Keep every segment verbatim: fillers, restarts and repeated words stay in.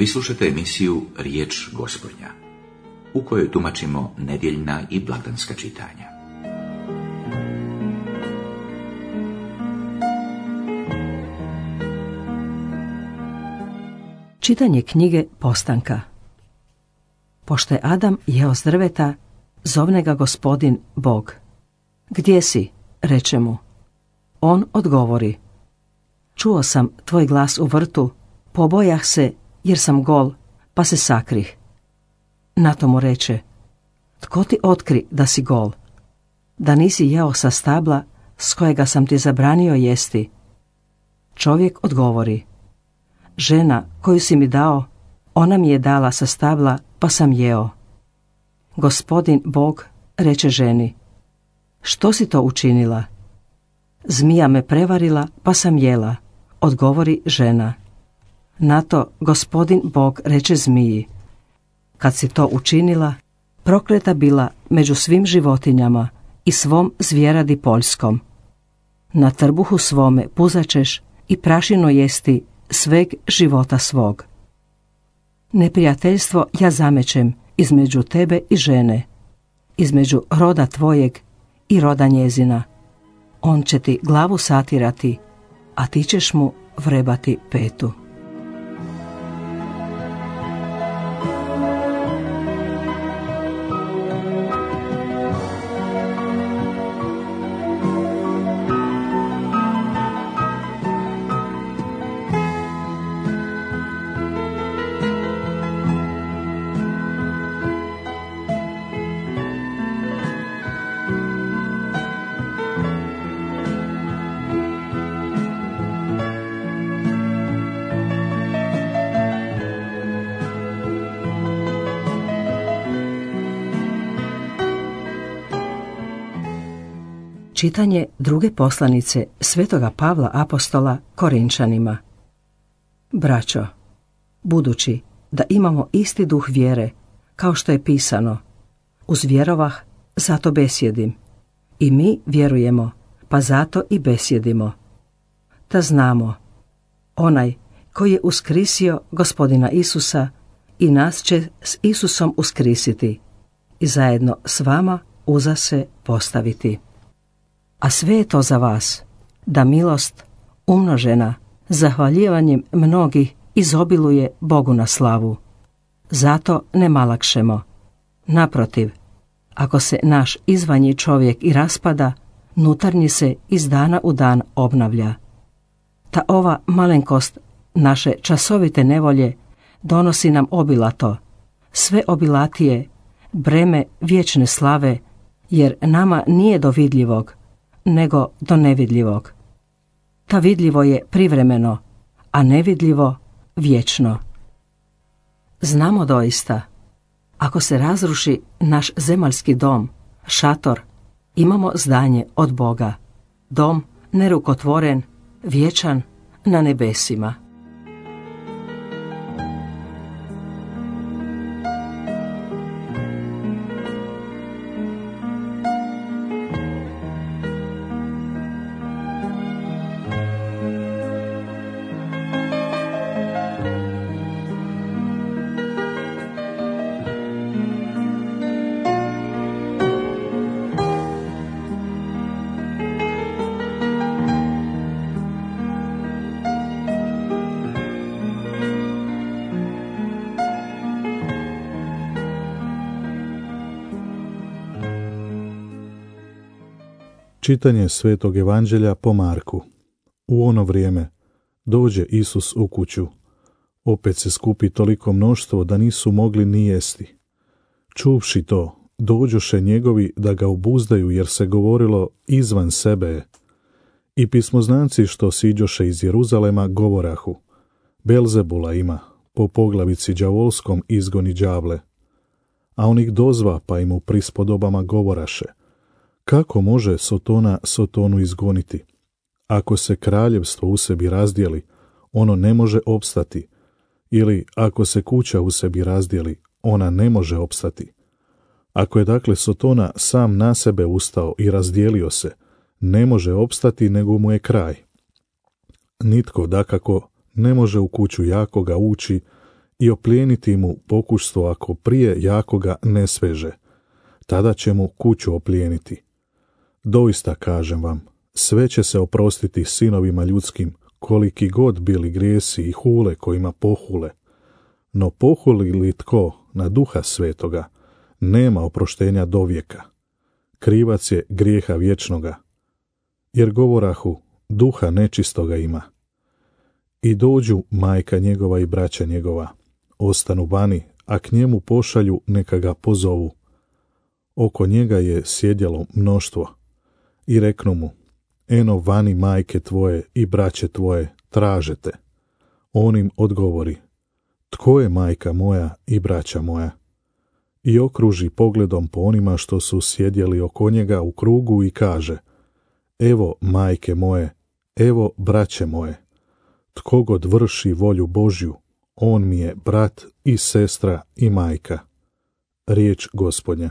Vi slušate emisiju Riječ Gospodnja, u kojoj tumačimo nedjeljna i blagdanska čitanja. Čitanje knjige Postanka. Pošto je Adam jeo s drveta, zovne ga Gospodin Bog. Gdje si? Reče mu. On odgovori. Čuo sam tvoj glas u vrtu, pobojah se jer sam gol, pa se sakrih. Na to mu reče. Tko ti otkri da si gol? Da nisi jeo sa stabla s kojega sam ti zabranio jesti? Čovjek odgovori. Žena koju si mi dao, ona mi je dala sa stabla, pa sam jeo. Gospodin Bog reče ženi. Što si to učinila? Zmija me prevarila, pa sam jela, odgovori žena. Na to Gospodin Bog reče zmiji. Kad si to učinila, prokleta bila među svim životinjama i svom zvjeradi poljskom. Na trbuhu svome puzačeš i prašino jesti sveg života svog. Neprijateljstvo ja zamećem između tebe i žene, između roda tvojeg i roda njezina. On će ti glavu satirati, a ti ćeš mu vrebati petu. Čitanje druge poslanice Svetoga Pavla apostola Korinčanima. Braćo, budući da imamo isti duh vjere, kao što je pisano, uzvjerovah, zato besjedim. I mi vjerujemo, pa zato i besjedimo. Ta znamo, onaj koji je uskrisio Gospodina Isusa i nas će s Isusom uskrisiti i zajedno s vama uza se postaviti. A sve je to za vas, da milost, umnožena, zahvaljivanjem mnogih izobiluje Bogu na slavu. Zato ne malakšemo. Naprotiv, ako se naš izvanji čovjek i raspada, nutarnji se iz dana u dan obnavlja. Ta ova malenkost naše časovite nevolje donosi nam obilato, sve obilatije, breme vječne slave, jer nama nije do vidljivog, nego do nevidljivog. Ta vidljivo je privremeno, a nevidljivo vječno. Znamo doista, ako se razruši naš zemaljski dom, šator, imamo zdanje od Boga, dom nerukotvoren, vječan na nebesima. Čitanje Svetog Evanđelja po Marku. U ono vrijeme dođe Isus u kuću. Opet se skupi toliko mnoštvo da nisu mogli ni jesti. Čuvši to, dođoše njegovi da ga obuzdaju, jer se govorilo izvan sebe je. I pismoznanci što siđoše iz Jeruzalema govorahu. Belzebula ima, po poglavici đavolskom izgoni đavle. A on ih dozva, pa im u prispodobama govoraše. Kako može Sotona Sotonu izgoniti? Ako se kraljevstvo u sebi razdijeli, ono ne može opstati. Ili ako se kuća u sebi razdijeli, ona ne može opstati. Ako je dakle Sotona sam na sebe ustao i razdijelio se, ne može opstati nego mu je kraj. Nitko dakako ne može u kuću jakoga ući i oplijeniti mu pokućstvo ako prije jakoga ne sveže. Tada će mu kuću oplijeniti. Doista kažem vam, sve će se oprostiti sinovima ljudskim, koliki god bili grijesi i hule kojima pohule. No pohuli li tko na Duha Svetoga, nema oproštenja do vijeka. Krivac je grijeha vječnoga. Jer govorahu, duha nečistoga ima. I dođu majka njegova i braća njegova, ostanu vani, a k njemu pošalju neka ga pozovu. Oko njega je sjedjelo mnoštvo. I reknu mu, eno vani majke tvoje i braće tvoje tražete. On im odgovori, tko je majka moja i braća moja? I okruži pogledom po onima što su sjedjeli oko njega u krugu i kaže, evo majke moje, evo braće moje. Tko god vrši volju Božju, on mi je brat i sestra i majka. Riječ Gospodnja.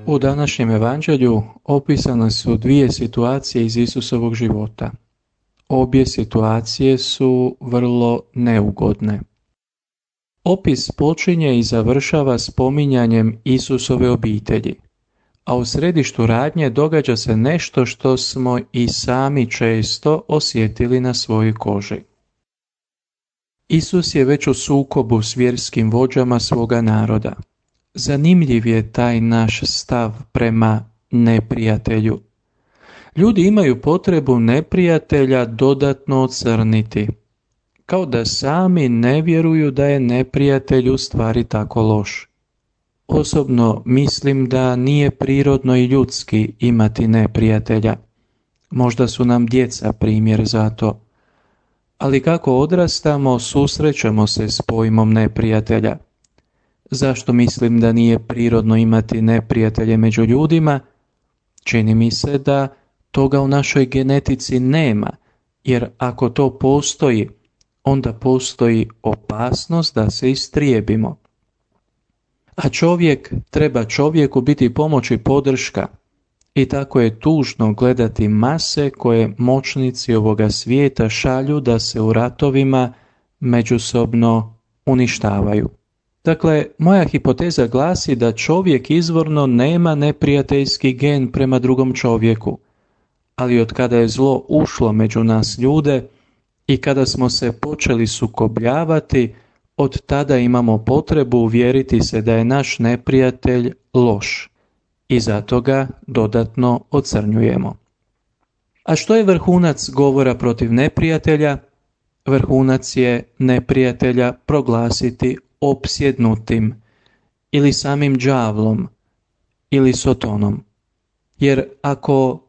U današnjem evanđelju opisane su dvije situacije iz Isusovog života. Obje situacije su vrlo neugodne. Opis počinje i završava spominjanjem Isusove obitelji, a u središtu radnje događa se nešto što smo i sami često osjetili na svojoj koži. Isus je već u sukobu s vjerskim vođama svoga naroda. Zanimljiv je taj naš stav prema neprijatelju. Ljudi imaju potrebu neprijatelja dodatno ocrniti, kao da sami ne vjeruju da je neprijatelj u stvari tako loš. Osobno mislim da nije prirodno i ljudski imati neprijatelja. Možda su nam djeca primjer za to. Ali kako odrastamo, susrećemo se s pojmom neprijatelja. Zašto mislim da nije prirodno imati neprijatelje među ljudima? Čini mi se da toga u našoj genetici nema, jer ako to postoji, onda postoji opasnost da se istrijebimo. A čovjek treba čovjeku biti pomoć i podrška. I tako je tužno gledati mase koje moćnici ovoga svijeta šalju da se u ratovima međusobno uništavaju. Dakle, moja hipoteza glasi da čovjek izvorno nema neprijateljski gen prema drugom čovjeku, ali od kada je zlo ušlo među nas ljude i kada smo se počeli sukobljavati, od tada imamo potrebu uvjeriti se da je naš neprijatelj loš i zato ga dodatno ocrnjujemo. A što je vrhunac govora protiv neprijatelja? Vrhunac je neprijatelja proglasiti opsjednutim ili samim đavlom ili sotonom. Jer ako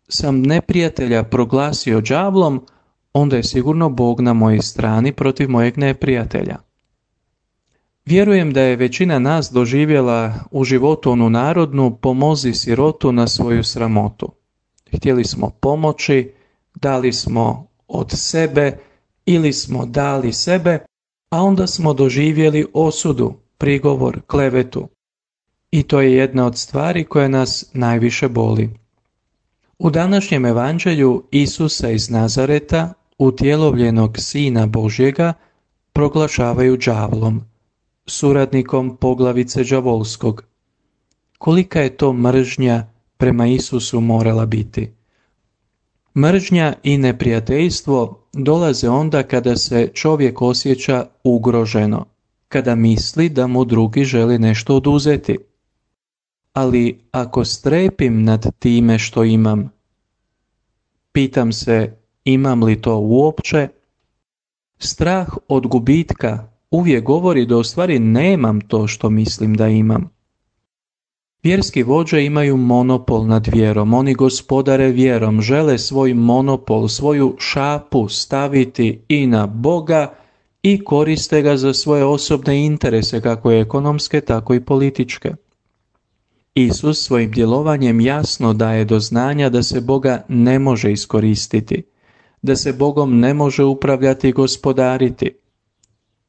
sam neprijatelja proglasio đavlom, onda je sigurno Bog na mojoj strani protiv mojeg neprijatelja. Vjerujem da je većina nas doživjela u životu onu narodnu pomozi sirotu na svoju sramotu. Htjeli smo pomoći, dali smo od sebe ili smo dali sebe, a onda smo doživjeli osudu, prigovor, klevetu. I to je jedna od stvari koja nas najviše boli. U današnjem evanđelju Isusa iz Nazareta, utjelovljenog Sina Božjega, proglašavaju đavlom, suradnikom poglavice đavolskog. Kolika je to mržnja prema Isusu morala biti? Mržnja i neprijateljstvo dolaze onda kada se čovjek osjeća ugroženo, kada misli da mu drugi želi nešto oduzeti. Ali ako strepim nad time što imam, pitam se imam li to uopće, strah od gubitka uvijek govori da u stvari nemam to što mislim da imam. Vjerski vođe imaju monopol nad vjerom, oni gospodare vjerom, žele svoj monopol, svoju šapu staviti i na Boga i koriste ga za svoje osobne interese, kako ekonomske, tako i političke. Isus svojim djelovanjem jasno daje do znanja da se Boga ne može iskoristiti, da se Bogom ne može upravljati i gospodariti.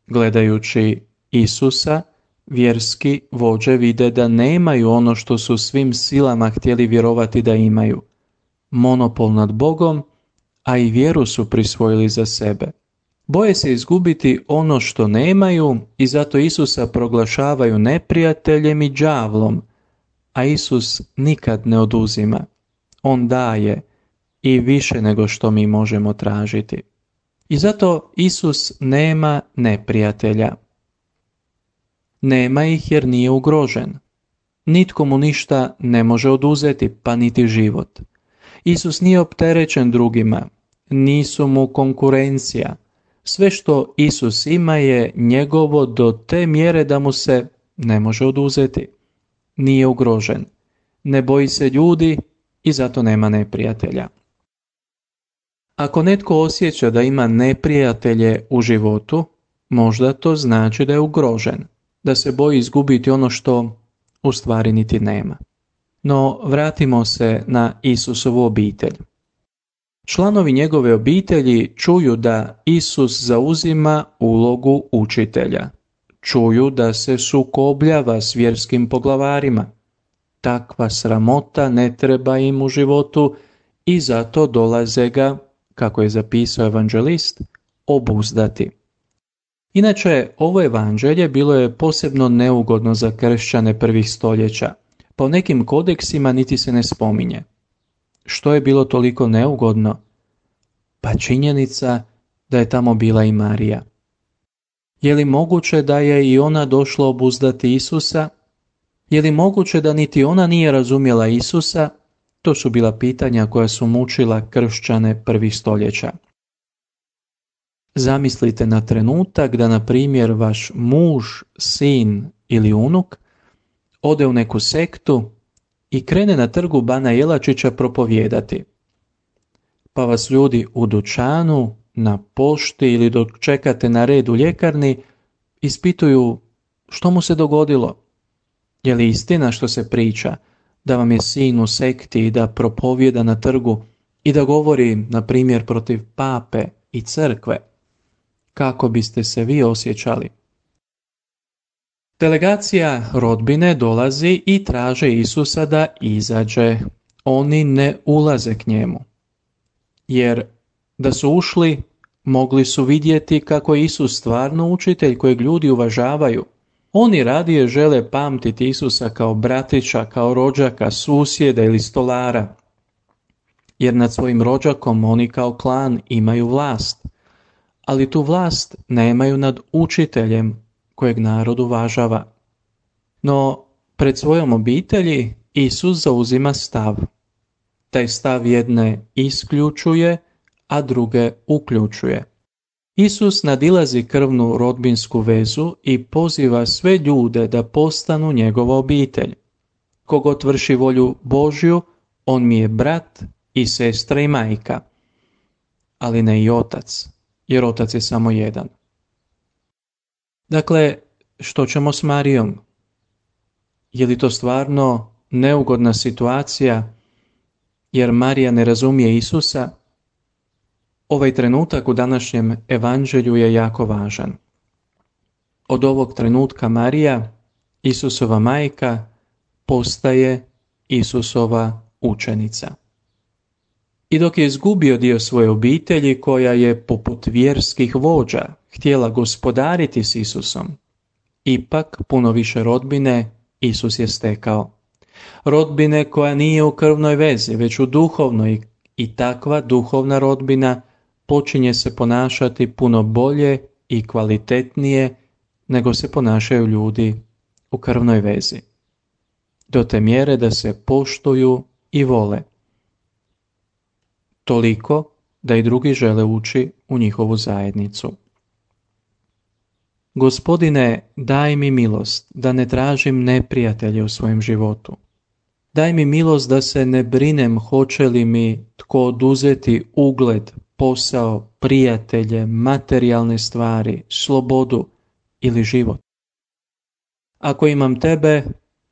Gledajući Isusa, vjerski vođe vide da nemaju ono što su svim silama htjeli vjerovati da imaju. Monopol nad Bogom, a i vjeru su prisvojili za sebe. Boje se izgubiti ono što nemaju i zato Isusa proglašavaju neprijateljem i đavlom, a Isus nikad ne oduzima. On daje i više nego što mi možemo tražiti. I zato Isus nema neprijatelja. Nema ih jer nije ugrožen. Nitko mu ništa ne može oduzeti, pa niti život. Isus nije opterećen drugima, nisu mu konkurencija. Sve što Isus ima je njegovo do te mjere da mu se ne može oduzeti. Nije ugrožen, ne boji se ljudi i zato nema neprijatelja. Ako netko osjeća da ima neprijatelje u životu, možda to znači da je ugrožen, da se boji izgubiti ono što u stvari niti nema. No vratimo se na Isusovu obitelj. Članovi njegove obitelji čuju da Isus zauzima ulogu učitelja. Čuju da se sukobljava s vjerskim poglavarima. Takva sramota ne treba im u životu i zato dolaze ga, kako je zapisao evanđelist, obuzdati. Inače, ovo evanđelje bilo je posebno neugodno za kršćane prvih stoljeća. Po nekim kodeksima niti se ne spominje. Što je bilo toliko neugodno? Pa činjenica da je tamo bila i Marija. Je li moguće da je i ona došla obuzdati Isusa? Je li moguće da niti ona nije razumjela Isusa? To su bila pitanja koja su mučila kršćane prvih stoljeća. Zamislite na trenutak da, na primjer, vaš muž, sin ili unuk ode u neku sektu i krene na trgu Bana Jelačića propovijedati. Pa vas ljudi u dućanu, na pošti ili dok čekate na red u ljekarni ispituju što mu se dogodilo. Je li istina što se priča da vam je sin u sekti i da propovijeda na trgu i da govori, na primjer, protiv pape i crkve? Kako biste se vi osjećali? Delegacija rodbine dolazi i traže Isusa da izađe. Oni ne ulaze k njemu. Jer da su ušli, mogli su vidjeti kako je Isus stvarno učitelj kojeg ljudi uvažavaju. Oni radije žele pamtiti Isusa kao bratića, kao rođaka, susjeda ili stolara. Jer nad svojim rođakom oni kao klan imaju vlast. Ali tu vlast nemaju nad učiteljem kojeg narod uvažava. No, pred svojom obitelji Isus zauzima stav. Taj stav jedne isključuje, a druge uključuje. Isus nadilazi krvnu rodbinsku vezu i poziva sve ljude da postanu njegova obitelj. Kogod vrši volju Božju, on mi je brat i sestra i majka, ali ne i otac, jer otac je samo jedan. Dakle, što ćemo s Marijom? Je li to stvarno neugodna situacija jer Marija ne razumije Isusa? Ovaj trenutak u današnjem evanđelju je jako važan. Od ovog trenutka Marija, Isusova majka, postaje Isusova učenica. I dok je izgubio dio svoje obitelji koja je poput vjerskih vođa htjela gospodariti s Isusom, ipak puno više rodbine Isus je stekao. Rodbine koja nije u krvnoj vezi, već u duhovnoj, i takva duhovna rodbina počinje se ponašati puno bolje i kvalitetnije nego se ponašaju ljudi u krvnoj vezi. Do te mjere da se poštuju i vole. Toliko da i drugi žele ući u njihovu zajednicu. Gospodine, daj mi milost da ne tražim neprijatelje u svojem životu. Daj mi milost da se ne brinem hoće li mi tko oduzeti ugled posao, prijatelje, materijalne stvari, slobodu ili život. Ako imam tebe,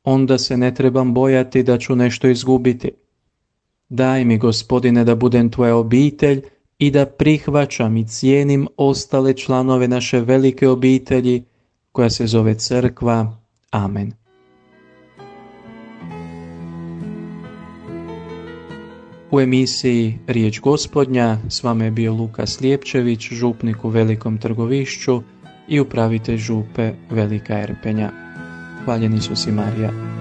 onda se ne trebam bojati da ću nešto izgubiti. Daj mi, Gospodine, da budem tvoja obitelj i da prihvaćam i cijenim ostale članove naše velike obitelji koja se zove Crkva. Amen. U emisiji Riječ Gospodnja s vama je bio Luka Slijepčević, župnik u Velikom Trgovišću i upravitelj župe Velika Erpenja. Hvaljen Isus i Marija.